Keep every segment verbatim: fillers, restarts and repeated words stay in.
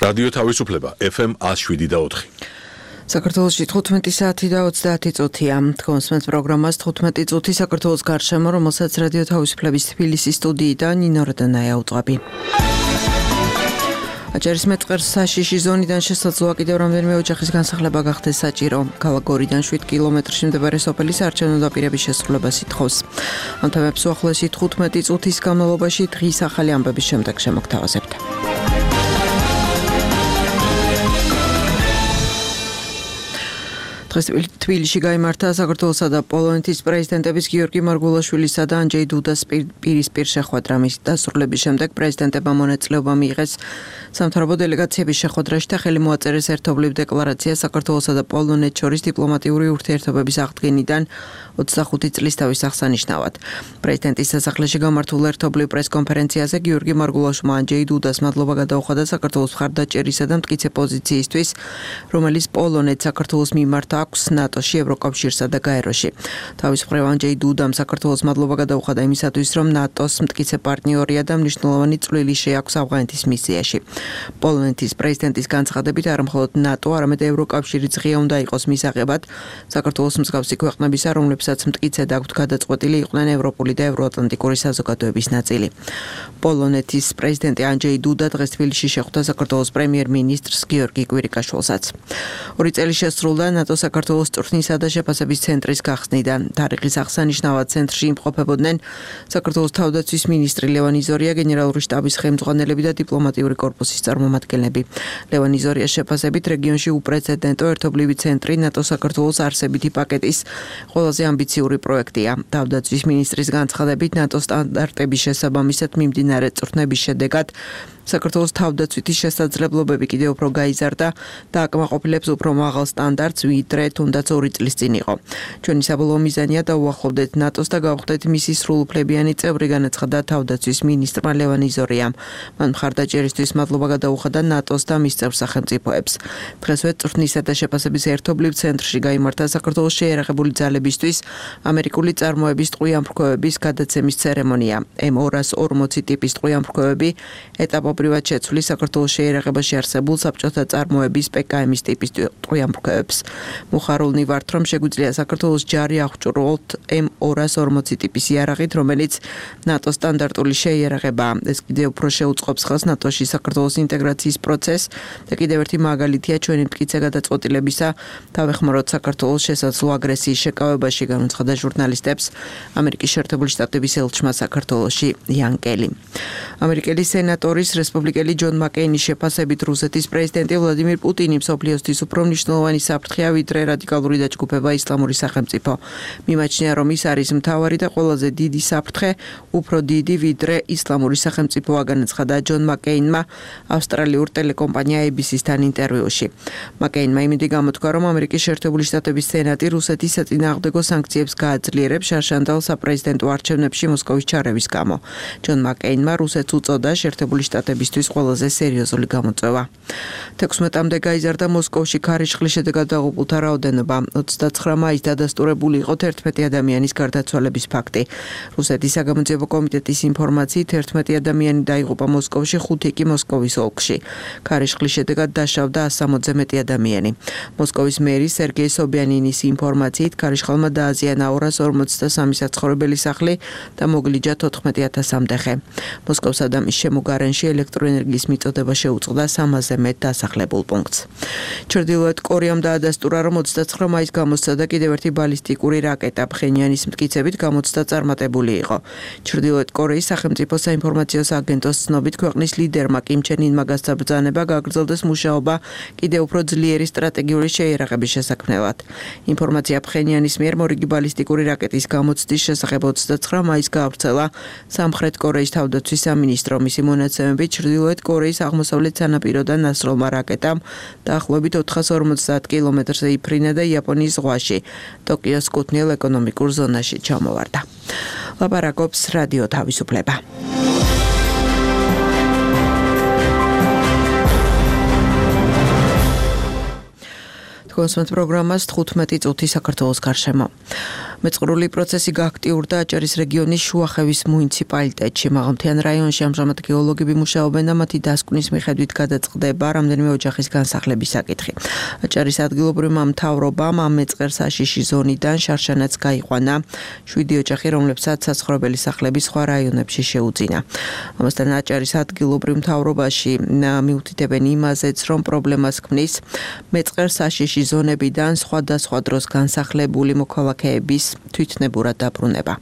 რადიო თავისუფლება ეფ ემ one oh seven და four. საქართველოში თხუთმეტი საათი და ოცდაათი წუთია. Თქვენს პროგრამას თხუთმეტი წუთი საქართველოს გარშემო, რომელსაც რადიო თავისუფლების თბილისის სტუდიიდან ნინო რადანაია უძღვები. აჭარის მეწყერს საშიში ზონიდან შესაძლოა კიდევ რამდენიმე ოჯახის განსახლება გახდეს საჭირო. ქალაქ გორიდან შვიდ კილომეტრში მდებარე სოფელი საარჩევნო დაპირების შესრულებას ითხოვს. ამ თემებს უახლოესი თხუთმეტი წუთის განმავლობაში დღის ახალი ამბების შემდეგ შემოგთავაზებთ. დღეს თბილისში გაიმართა საქართველოსა და პოლონეთის პრეზიდენტების გიორგი მარგულაშვილისა და ანჯეი დუდას პირისპირ შეხვედრა. მის დასრულების შემდეგ პრეზიდენტებმა მონაწილეობა მიიღეს სამთავრობო დელეგაციების შეხვედრაში და ხელი მოაწერეს ერთობლივ დეკლარაცია საქართველოსა და პოლონეთს შორის დიპლომატიური ურთიერთობების აღდგენიდან ოცდახუთი წლის თავის აღსანიშნავად. პრეზიდენტის სასახლეში გამართულ ერთობლივ პრესკონფერენციაზე გიორგი მარგულაშვილმა ანჯეი დუდას მადლობა გადაუხადა საქართველოს მხარდაჭერისა და მტკიცე პოზიციისთვის, რომელიც პოლონეთს საქართველოს მიმართ აქვს ნატოში, ევროკავშირსა და გაეროში. თავის მხრივ ანჯეი დუდამ საქართველოს მადლობა გადაუხადა იმისათვის, რომ ნატოს მტკიცე პარტნიორია და მნიშვნელოვანი წვლილი შეაქვს ავღანეთის მისიაში. პოლონეთის პრეზიდენტის განცხადებით, არა მხოლოდ ნატო, არამედ ევროკავშირიც ღია უნდა იყოს მისაღებად საქართველოს მსგავსი ქვეყნებისა, რომლებსაც მტკიცედ აქვთ გადაწყვეტილი იყვნენ ევროპული და ევროატლანტიკური საზოგადოების ნაწილი. პოლონეთის პრეზიდენტი ანჯეი დუდა დღეს თბილისში შეხვდა საქართველოს პრემიერ-მინისტრს გიორგი კვირიკაშვილსაც. ორი წელი შესრულდა ნატო საქართველოს წვრთნისა და შეფასების ცენტრის გახსნიდან. თარიღის აღსანიშნავად ცენტრში იმყოფებოდნენ საქართველოს თავდაცვის მინისტრი ლევან იზორია, გენერალური შტაბის ხელმძღვანელები და დიპლომატიური კორპუსის წარმომადგენლები. ლევან იზორიას შეფასებით რეგიონში უპრეცედენტო ერთობლივი ცენტრი ნატო საქართველოს არსებითი პაკეტის ყველაზე ამბიციური პროექტია. თავდაცვის მინისტრის განცხადებით, ნატო სტანდარტების შესაბამისად მიმდინარე წვრთნების შედეგად საქართველოს თავდაცვითი შესაძლებლობები კიდევ უფრო გაიზარდა და აკმაყოფილებს უფრო მაღალ სტანდარტს, ვიდრე თუნდაც ორი წლის წინ იყო. ჩვენი საბოლოო მიზანია დავუახლოვდეთ ნატოს და გავხდეთ მისი სრულუფლებიანი წევრი, განაცხადა თავდაცვის მინისტრმა ლევან იზორიამ. მან მხარდაჭერისთვის მადლობა გადაუხადა ნატოს და მის წევრ სახელმწიფოებს. დღესვე წვრთნისა და შეფასების ერთობლივ ცენტრში გაიმართა საქართველოს შეიარაღებული ძალებისთვის ამერიკული წარმოების ტყვიამფრქვევების გადაცემის ცერემონია. ემ ორას ორმოცი ტიპის ტყვიამფრქვევები ეტაპობრივად შეცვლის საქართველოს შეიარაღებაში არსებულ საბჭოთა წარმოების პე კა ემის ტიპის ტყვიამფრქვევებს. მუხარულნი ვართ, რომ შეგვიძლია საქართველოს ჯარი აღჭურვოთ ემ ორას ორმოცი ტიპის იარაღით, რომელიც ნატოს სტანდარტული შეიარაღებაა. ეს კიდევ უფრო შეუწყობს ხელს ნატოში საქართველოს ინტეგრაციის პროცესს და კიდევ ერთი მაგალითია ჩვენი მტკიცე გადაწყვეტილებისა თავეხმაროთ საქართველოს შესაძლო აგრესიის შეკავებაში, განაცხადა ჟურნალისტებს ამერიკის შეერთებული შტატების ელჩმა საქართველოში იან კელი. ამერიკელი სენატორის რესპუბლიკელი ჯონ მაკეინის შეფასებით რუსეთის პრეზიდენტი ვლადიმირ პუტინი მსოფლიოსთვის უფრო მნიშვნელოვანი საფრთხეა, ვიდრე რადიკალური დაჯგუფება ისლამური სახელმწიფო. მიმაჩნია, რომ ის არის მთავარი და ყველაზე დიდი საფრთხე, უფრო დიდი ვიდრე ისლამური სახელმწიფოა, განაცხადა ჯონ მაკეინმა ავსტრალიურ ტელეკომპანია эй ბი სი-სთან ინტერვიუში. მაკეინმა იმედი გამოთქვა, რომ ამერიკის შეერთებული შტატების სენატი რუსეთის საწინააღმდეგო სანქციებს გააძლიერებს შარშანდალ საპრეზიდენტო არჩევნებში მოსკოვის ჩარევის გამო. ჯონ მაკეინმა რუსეთს უწოდა შეერთებული შტატებისთვის ყველაზე სერიოზული გამოწვევა. თექვსმეტამდე გაიზარდა მოსკოვში ქარიშხლის შედეგად დაღუპულთა რაოდენობა. ოცდაცხრა მაისს დადასტურებული იყო თერთმეტი ადამიანის გარდაცვალების ფაქტი. რუსეთის საგამოძიებო კომიტეტის ინფორმაციით თერთმეტი ადამიანი დაიღუპა მოსკოვში, ხუთი კი მოსკოვის ოლქში. ქარიშხლის შედეგად დაშავდა ასამოცზე მეტი ადამიანი. მოსკოვის მერი სერგეი სობიანინის ინფორმაციით ქარიშხალმა დააზიანა ორას ორმოცდასამი საცხოვრებელი სახლი და მოგლიჯა თოთხმეტი ათასამდე ხე. მოსკოვის ადამიანის შემოგარენში ელექტროენერგიის მიწოდება შეუწყდა სამასზე მეტ დასახლებულ პუნქტს. ჩრდილოეთ კორეამ დაადასტურა, რომ ოცდაცხრა მაისს გამოსცა და კიდევ ერთი ბალისტიკური რაკეტა ფხენიანის მტკიცებით გამოცდა წარმატებული იყო. ჩრდილოეთ კორეის სახელმწიფო საინფორმაციო სააგენტოს ცნობით, ქვეყნის ლიდერმა კიმ ჩენ ინმა გასაბრძანება გაგრძელდეს მუშაობა კიდევ უფრო ძლიერი სტრატეგიული შეიარაღების შესაქმნელად. ინფორმაცია ფხენიანის მიერ მორიგი ბალისტიკური რაკეტის გამოცდის შესახებ ოცდაცხრა მაისს გაავრცელა სამხრეთ კორეის თავდაცვის სამინისტრო. მისი მონაცემებით ჩრდილოეთ კორეის აღმოსავლეთ სანაპიროდან ნასროლმა რაკეტამ დაახლოებით ოთხას ორმოცდაათ კილომეტრზე იფრინა და იაპონიის ზღვაში ტოკიოს კუთვნილ ეკონომიკურ ზონაში ჩამოვარდა. ლაპარაკობს რადიო თავისუფლება. თქვენს პროგრამას თხუთმეტი წუთი საქართველოს გარშემო. მეწყრული პროცესი გააქტიურდა აჭარის რეგიონის შუახევის მუნიციპალიტეტში. მაღალმთიან რაიონში ამჟამად გეოლოგები მუშაობენ და მათი დასკვნის მიხედვით გადაწყდება რამდენიმე ოჯახის განსახლების საკითხი. აჭარის ადგილობრივმა მთავრობამ ამ მეწყერ საშიში ზონიდან შარშანაც გაიყვანა შვიდი ოჯახი, რომლებსაც საცხოვრებელი სახლები სხვა რაიონებში შეუძინა. ამასთან აჭარის ადგილობრივ მთავრობაში მიუთითებენ იმაზეც, რომ პრობლემას ქმნის მეწყერ საშიში ზონებიდან სხვადასხვა დროს განსახლებული მოქალაქეების თვითნებურად დაბრუნება.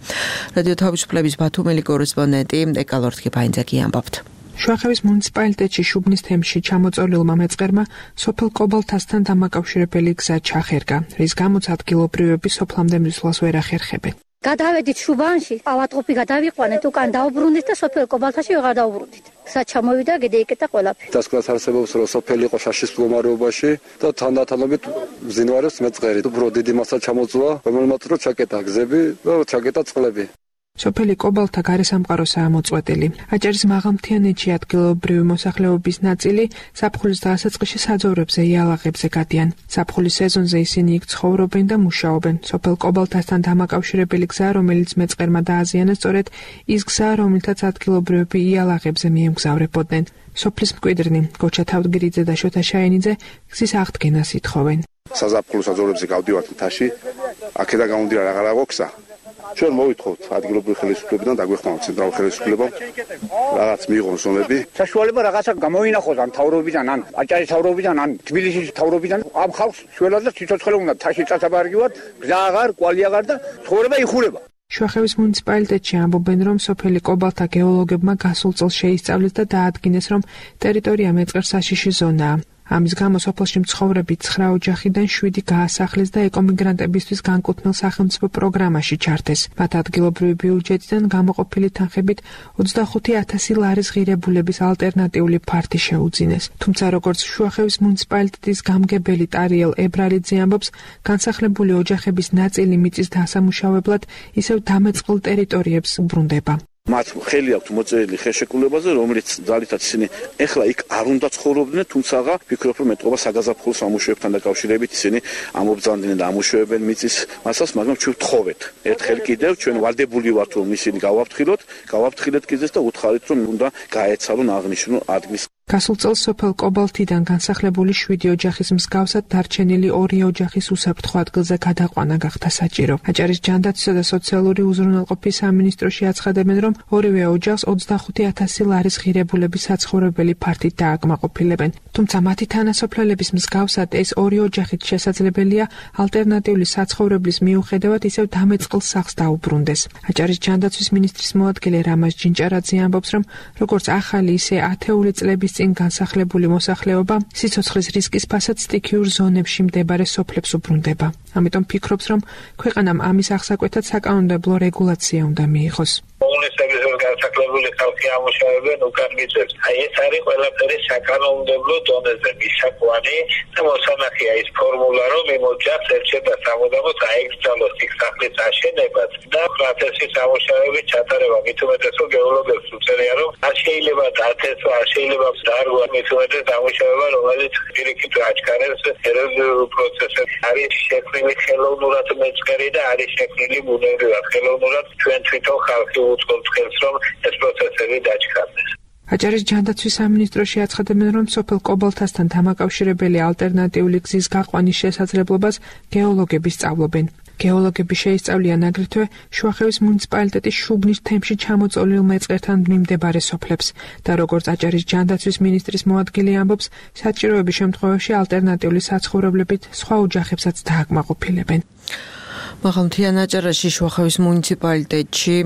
რადიო თავისუფლების ბათუმელი კორესპონდენტი ეკალორთქი ფაინძაკი ამბობთ. შუახევის მუნიციპალიტეტში შუბნის თემში ჩამოწოლილმა მეწყერმა სოფელ კობალთასთან დამაკავშირებელი გზა ჩახერგა, რის გამოც ადგილობრივები სოფლამდე მისვლას ვერ ახერხებენ. გადავედით შუბანში, ავადყოფი გადავიყვანეთ, უკან დაუბრუნდით და სოფელ კობალთაში ვეღარ დაუბრუნდით. გზა ჩამოვიდა, გადაიკეტა ყველაფერი. დასკვნას არსებობს, რომ სოფელი იყო შაშის მდგომარეობაში და თანდათანობით მძინვარებს მეწყერი. უფრო დიდი მასა ჩამოწვა, რომელმაც რო ჩაკეტა გზები და ჩაკეტა წყლები. სოფელი კობალთა გარესამყაროსაა მოწყვეტილი. აჭარის მაღალმთიანეთში ადგილობრივი მოსახლეობის ნაწილი ზაფხულის დასაწყისში საძოვრებზე იალაღებზე გადიან. ზაფხულის სეზონზე ისინი იქ ცხოვრობენ და მუშაობენ. სოფელ კობალთასთან დამაკავშირებელი გზა, რომელიც მეწყერმა დააზიანა, სწორედ ის გზა, რომლითაც ადგილობრივები იალაღებზე მიემგზავრებოდნენ. სოფლის მკვიდრნი გოჩა თავდგირიძე და შოთა შაენიძე გზის აღდგენას ითხოვენ. საზაფხულო საძოვრებზე გავდივართ მთაში, აქედან გამომდინარე აღარ აღვო გზა. ჩვენ მოვითხოვთ ადგილობრივი ხელისუფლებიდან დაგვეხმაროთ ცენტრალურ ხელისუფლებამ რაღაც მიიღონ ზონები. საშუალება რაღაცა გამოინახოს ან თავრობიდან, ან აჭარის თავრობიდან, ან თბილისის თავრობიდან. ამ ხალხს შველად და ციცოცხლე უნდა თაში წასაბარგივართ, გზა აღარ, კვალი აღარ და ცხოვრება იხურება. შუახევის მუნიციპალიტეტში ამბობენ, რომ სოფელი კობალთა გეოლოგებმა გასულ წელს შეისწავლეს და დაადგინეს, რომ ტერიტორია მეწყერ საშიში ზონაა. ამის გამო სოფელში მცხოვრები ცხრა ოჯახიდან შვიდი გაასახლეს და ეკომიგრანტებისთვის განკუთვნილ სახელმწიფო პროგრამაში ჩართეს. მათ ადგილობრივი ბიუჯეტიდან გამოყოფილი თანხებით ოცდახუთი ათასი ლარის ღირებულების ალტერნატიული ფართი შეუძინეს. თუმცა როგორც შუახევის მუნიციპალიტეტის გამგებელი ტარიელ ებრალიძე ამბობს, განსახლებული ოჯახების ნაწილი მიწის დასამუშავებლად ისევ დამეწყრულ ტერიტორიებს უბრუნდება. მათ ხელი აქვთ მოწერილი ხელშეკრულებაზე, რომელიც ძალითაც ისინი ეხლა იქ არ უნდა ცხოვრობდნენ, თუმცა ვფიქრობ, რომ ეტყობა საგაზაფხულო სამუშაოებთან დაკავშირებით ისინი ამობრძანდნენ და ამუშავებენ მიწის მასას, მაგრამ ჩვენ ვთხოვეთ. ერთხელ კიდევ ჩვენ ვალდებული ვართ, რომ ისინი გავაფრთხილოთ, გავაფრთხილეთ გზას და უთხარით, რომ უნდა გაეცალონ აღნიშნულ ადგილს. გასულ წელს სოფელ კობალთიდან განსახლებული შვიდი ოჯახის მსგავსად დარჩენილი ორი ოჯახის უსაფრთხო ადგილზე გადაყვანა გახდა საჭირო. აჭარის ჯანდაცვისა და სოციალური უზრუნველყოფის სამინისტროში აცხადებენ, რომ ორივე ოჯახს ოცდახუთი ათასი ლარის ღირებულების საცხოვრებელი ფართით დააკმაყოფილებენ. თუმცა მათი თანასოფლელების მსგავსად ეს ორი ოჯახით შესაძლებელია ალტერნატიული საცხოვრებლის მიუხედავად ისევ დამეწყრილ სახლს დაუბრუნდეს. აჭარის ჯანდაცვის მინისტრის მოადგილე რამაზ ჯინჭარაძე ამბობს, რომ როგორც ახალი, ისე ათეული წლების წინ განსახლებული მოსახლეობა სიცოცხლის რისკის ფასად სტიქიურ ზონებში მდებარე სოფლებს უბრუნდება. ამიტომ ფიქრობს, რომ ქვეყანამ ამის აღსაკვეთად საკანონმდებლო რეგულაცია უნდა მიიღოს. კომუნისტების განსახლებული ხალხი ამუშავებენ უკან მიწებს. აი ეს არის ყველაფერი საკანონმდებლო დონეზე მისაკვანი და მოსანახია ის ფორმულა, რომ იმ ოჯახს ერჩება სამუდამოდ აეკრძალოს იქ სახლის აშენებას და პროცესის სამუშაოების ჩატარება. მით უმეტეს რომ გეოლოგებს უწევია, რომ არ შეიძლება დათესვა, არ შეიძლება დარგვა მით უმეტეს სამუშაოება, რომელიც პირიქით აჩქარებს ეროზიულ პროცესებს. არის შექმნილი ხელოვნურად მეწყერი და არის შექმნილი ბუნებრივად ხელოვნურად ჩვენ თვითონ ხალხი უწყობს ხელს, რომ ეს პროცესები დაჩქარდეს. აჭარის ჯანდაცვის სამინისტროში აცხადებენ, რომ სოფელ კობალთასთან დამაკავშირებელი ალტერნატიული გზის გაყვანის შესაძლებლობას გეოლოგები სწავლობენ. გეოლოგები შეისწავლიან აგრეთვე შუახევის მუნიციპალიტეტის შუბნის თემში ჩამოწოლილ მეწყერთან მიმდებარე სოფლებს და როგორც აჭარის ჯანდაცვის მინისტრის მოადგილე ამბობს, საჭიროების შემთხვევაში ალტერნატიული საცხოვრებლებით სხვა ოჯახებსაც დააკმაყოფილებენ. მაღალმთიან აჭარაში შუახევის მუნიციპალიტეტში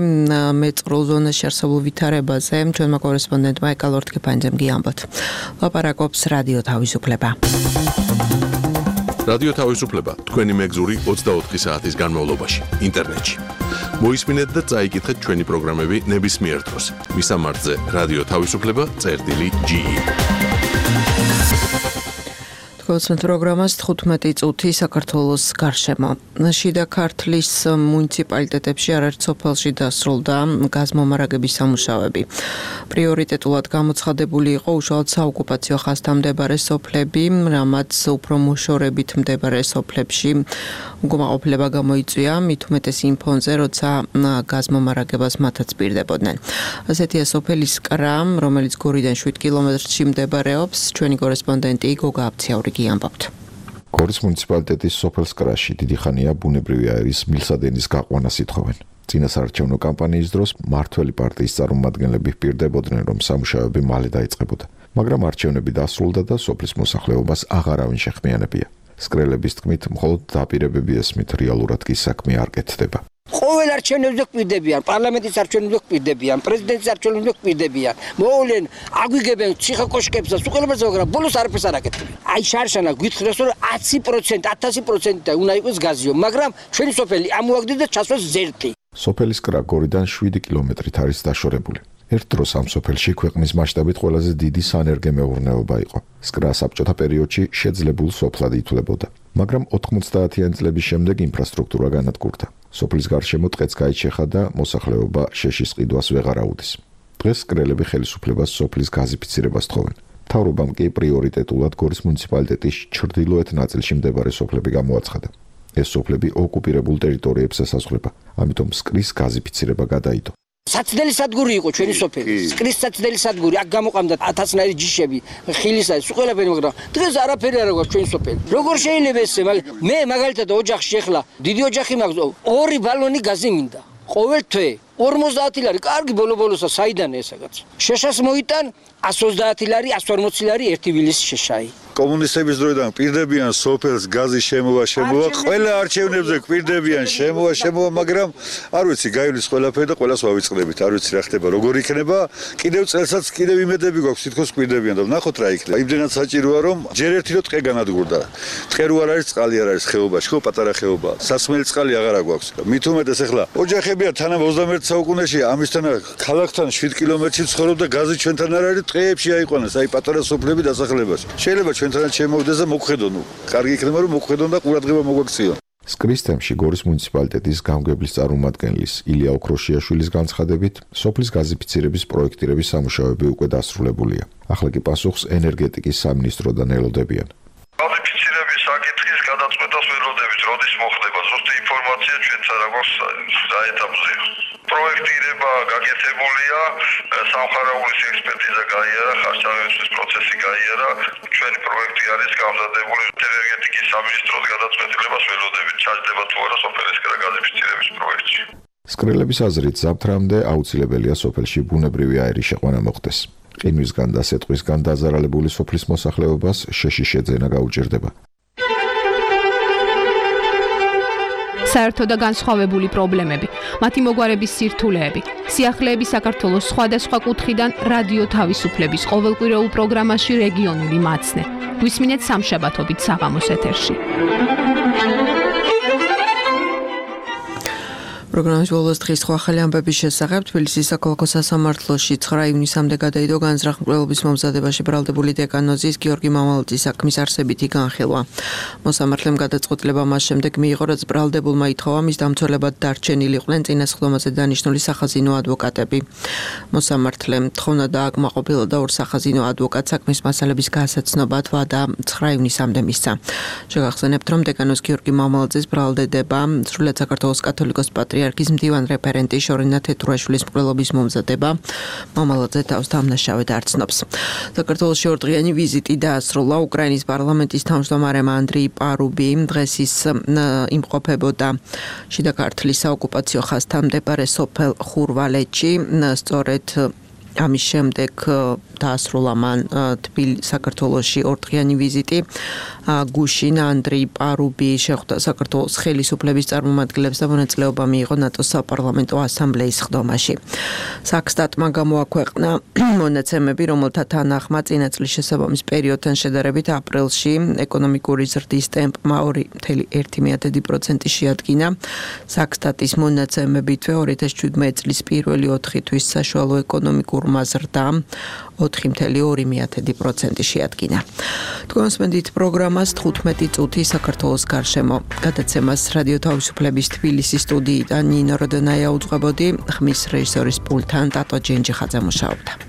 მეწყრულ ზონაში არსებულ ვითარებაზე ჩვენმა კორესპონდენტმა ეკალორთქი ფაინძემ გიამბობთ. ლაპარაკობს რადიო თავისუფლება. რადიო თავისუფლება თქვენი მეგზური ოცდაოთხი საათის განმავლობაში ინტერნეტში. მოისმინეთ და წაიკითხეთ ჩვენი პროგრამები ნებისმიერ დროს. მისამართზე რადიო თავისუფლება წერტილი ჯი. გულისხმობთ პროგრამას თხუთმეტი წუთი საქართველოს გარშემო. შიდა ქართლის მუნიციპალიტეტებში არაერთ სოფელში დასრულდა გაზმომარაგების სამუშაოები. პრიორიტეტულად გამოცხადებული იყო უშუალოდ საოკუპაციო ხაზთან მდებარე სოფლები, რამაც უფრო მოშორებით მდებარე სოფლებში უკმაყოფილება გამოიწვია, მით უმეტეს იმ ფონზე, როცა გაზმომარაგებას მათაც პირდებოდნენ. ასეთია სოფელი სკრა, რომელიც გორიდან შვიდ კილომეტრში მდებარეობს. ჩვენი კორესპონდენტი გოგა აბციაურიგი ამბობთ. გორის მუნიციპალიტეტის სოფელ სკრაში დიდი ხანია ბუნებრივი აირის მილსადენის გაყვანას ითხოვენ. წინასაარჩევნო კამპანიის დროს მმართველი პარტიის წარმომადგენლები პირდებოდნენ, რომ სამუშაოები მალე დაიწყებოდა. მაგრამ არჩევნები დასრულდა და სოფლის მოსახლეობას აღარავინ შეხმიანებია. სკრელების თქმით, მხოლოდ დაპირებები ესმით, რეალურად კი საქმე არ კეთდება. ყოველ არჩევნებზე კვირდებიან, პარლამენტის არჩევნებზე კვირდებიან, პრეზიდენტის არჩევნებზე კვირდებიან. მოვლენ, აგვიგებენ ციხე-კოშკებს და სუყელებებს, მაგრამ ბოლოს არაფერს არ აკეთებენ. აი შარშანა გითხრას, რომ ათი პროცენტი, ათასი პროცენტი უნდა იყოს გაზიო, მაგრამ ჩვენი სოფელი ამოაგდეს და ჩასვას ზერთი. სოფელი სკრა გორიდან შვიდი კილომეტრით არის დაშორებული. ერთ დროს ამ სოფელში ქვეყნის მასშტაბით ყველაზე დიდი სანერგე მეურნეობა იყო. სკრა საბჭოთა პერიოდში შეძლებულ სოფლად ითვლებოდა, მაგრამ ოთხმოცდაათიანი წლების შემდეგ ინფრასტრუქტურა განადგურდა. სოფლის გარშემო ტყეც გაიჩეხა და მოსახლეობა შეშის ყიდვას ვეღარ აუდის. დღეს სკრელები ხელისუფლებას სოფლის გაზიფიცირებას თხოვენ. მთავრობამ კი პრიორიტეტულად გორის მუნიციპალიტეტის ჩრდილოეთ ნაწილში მდებარე სოფლები გამოაცხადა. ეს სოფლები ოკუპირებულ ტერიტორიებს ესაზღვრება, ამიტომ სკრის გაზიფიცირება გადაიდო. საცდელი სადგური იყო ჩვენი სოფელი. სკრის საცდელი სადგური, აქ გამოყამდა ათასნაირი ჯიშები, ხილისა, სუყელები, მაგრამ დღეს არაფერი არ აქვს ჩვენი სოფელი. როგორ შეიძლება ესე? მე მაგალითად ოჯახში ახლა დიდი ოჯახი მაქვს, ორი ბალონი გაზი მინდა. ყოველ თვე ორმოცდაათი ლარი, კარგი ბოლო-ბოლოსა საიდან ესაგაც. შეშას მოიტან ას ოცდაათი ლარი, ას ორმოცი ლარი ერთი ვილის შეშაი. კომუნისტების დროიდან პირდებიან სოფელს გაზი შემოვა შემოვა ყველა არჩევნებზე კვირდებიან შემოვა შემოვა მაგრამ არ ვიცი გაივლის ყველაფერი და ყველას ვავიწყდებით არ ვიცი რა ხდება როგორ იქნება კიდევ წელსაც კიდევ იმედები გვაქვს თითქოს კვირდებიან და ვნახოთ რა იქნება იმდენად საჭიროა რომ ჯერ ერთი რო ტყე განადგურდა ტყე რო არ არის წყალი არ არის ხეობაში ხო პატარა ხეობა სასმელი წყალი აღარ აქვს მით უმეტეს ახლა ოჯახებია თანამ ოცდამეერთე საუკუნეში ამისთან ქალაქთან შვიდ კილომეტრში ცხოვრობდა გაზი ჩვენთან არ არის ტყეებში აიყვანეს აი პატარა სოფლები დასახლებაში შეიძლება ჩვენთან შემოვიდეს და მოგხედონ. კარგი იქნება რომ მოგხედონ და ყურადღება მოგვაქციონ. სკრის თემში გორის მუნიციპალიტეტის გამგებლის წარმომადგენლის ილია ოქროშიაშვილის განცხადებით, სოფლის გაზიფიცირების პროექტირების სამუშაოები უკვე დასრულებულია. ახლა კი პასუხს ენერგეტიკის სამინისტროდან ელოდებიან. გაზიფიცირების საკითხის გადაწყვეტას ველოდებით, როდის მოხდება. ზუსტი ინფორმაცია ჩვენც არ აქვს საეტაპზეა. პროექტირება გაკეთებულია, სამხარაულის ექსპერტიზა გაიარა, ხარჯავების პროცესი გაიარა. ჩვენი პროექტი არის გამზადებული ენერგეტიკის სამინისტროს გადაწყვეტილებას ველოდებით. ჩაჯდება თუ არა სოფელის გაზიფიცირების პროექტში. სკრელების აზრით, ზაფთრამდე აუცილებელია სოფელში ბუნებრივი აირის შეყვანა მოხდეს. ყინვისგან და სეტყვისგან დაზარალებული სოფლის მოსახლეობას შეშის შეძენა გაუჭირდება. საერთო და განსხვავებული პრობლემები, მათი მოგვარების სირთულეები, სიახლეები საქართველოს სხვადასხვა კუთხიდან რადიო თავისუფლების ყოველკვირეულ პროგრამაში რეგიონული მაცნე. გვისმინეთ სამშაბათობით საღამოს ეთერში. პროგრამის ბოლოს დღის სხვა ახალი ამბების შესახებ თბილისის საქალაქო სასამართლოში ცხრა ივნისამდე გადაიდო განზრახ-მკვლელობის მომზადებაში ბრალდებული დეკანოზის გიორგი მამალაძის საქმის არსებითი განხილვა. მოსამართლემ გადაწყვეტილება მას შემდეგ მიიღო, რაც ბრალდებულმა ითხოვა მის დამცველებად დარჩენილი იყვნენ წინასხდომაზე დანიშნული სახაზინო ადვოკატები. მოსამართლემ თხოვნა დააკმაყოფილა და ორ სახაზინო ადვოკატს საქმის მასალების გასაცნობად ვადა ცხრა ივნისამდე მისცა. შეგახსენებთ, რომ დეკანოზ გიორგი მამალაძის ბრალდება სრულად საქართველოს კათოლიკოს პატრიარქის მდივან რეფერენტი შორინა თეთრუაშვილის მკვლელობის მომზადება მამალაძე თავს დამნაშავედ არ ცნობს. საქართველოში ორდღიანი ვიზიტი დაასრულა უკრაინის პარლამენტის თავმჯდომარემ ანდრეი პარუბი დღეს ის იმყოფებოდა შიდა ქართლის საოკუპაციო ხაზთან მდებარე სოფელ ხურვალეთში სწორედ ამის შემდეგ დაასრულა მან თბილისში საქართველოში ორდღიანი ვიზიტი გუშინ ანდრეი პარუბი შეხვდა საქართველოს ხელისუფლების წარმომადგენლებს და მონაწილეობა მიიღო ნატოს საპარლამენტო ასამბლეის ხდომაში. საქსტატმა გამოაქვეყნა მონაცემები, რომელთა თანახმად წინა წლის შესაბამის პერიოდთან შედარებით აპრილში ეკონომიკური ზრდის ტემპმა ორი კoma ერთი პროცენტი შეადგინა. საქსტატის მონაცემებითვე ორი ათას შვიდმეტი წლის პირველი ოთხი თვის საშუალო ეკონომიკურ თურქმა ზრდა ოთხი კoma ორი პროცენტი შეადგინა. თქვენს მენდით პროგრამას თხუთმეტი წუთი საქართველოს გარშემო. გადაცემას რადიო თავისუფლების თბილისის სტუდიიდან ნინო როდონაია უძღვებოდი, ხმის რეჟისორის პულტთან ტატო ჯენჯიხაძე მუშაობდა.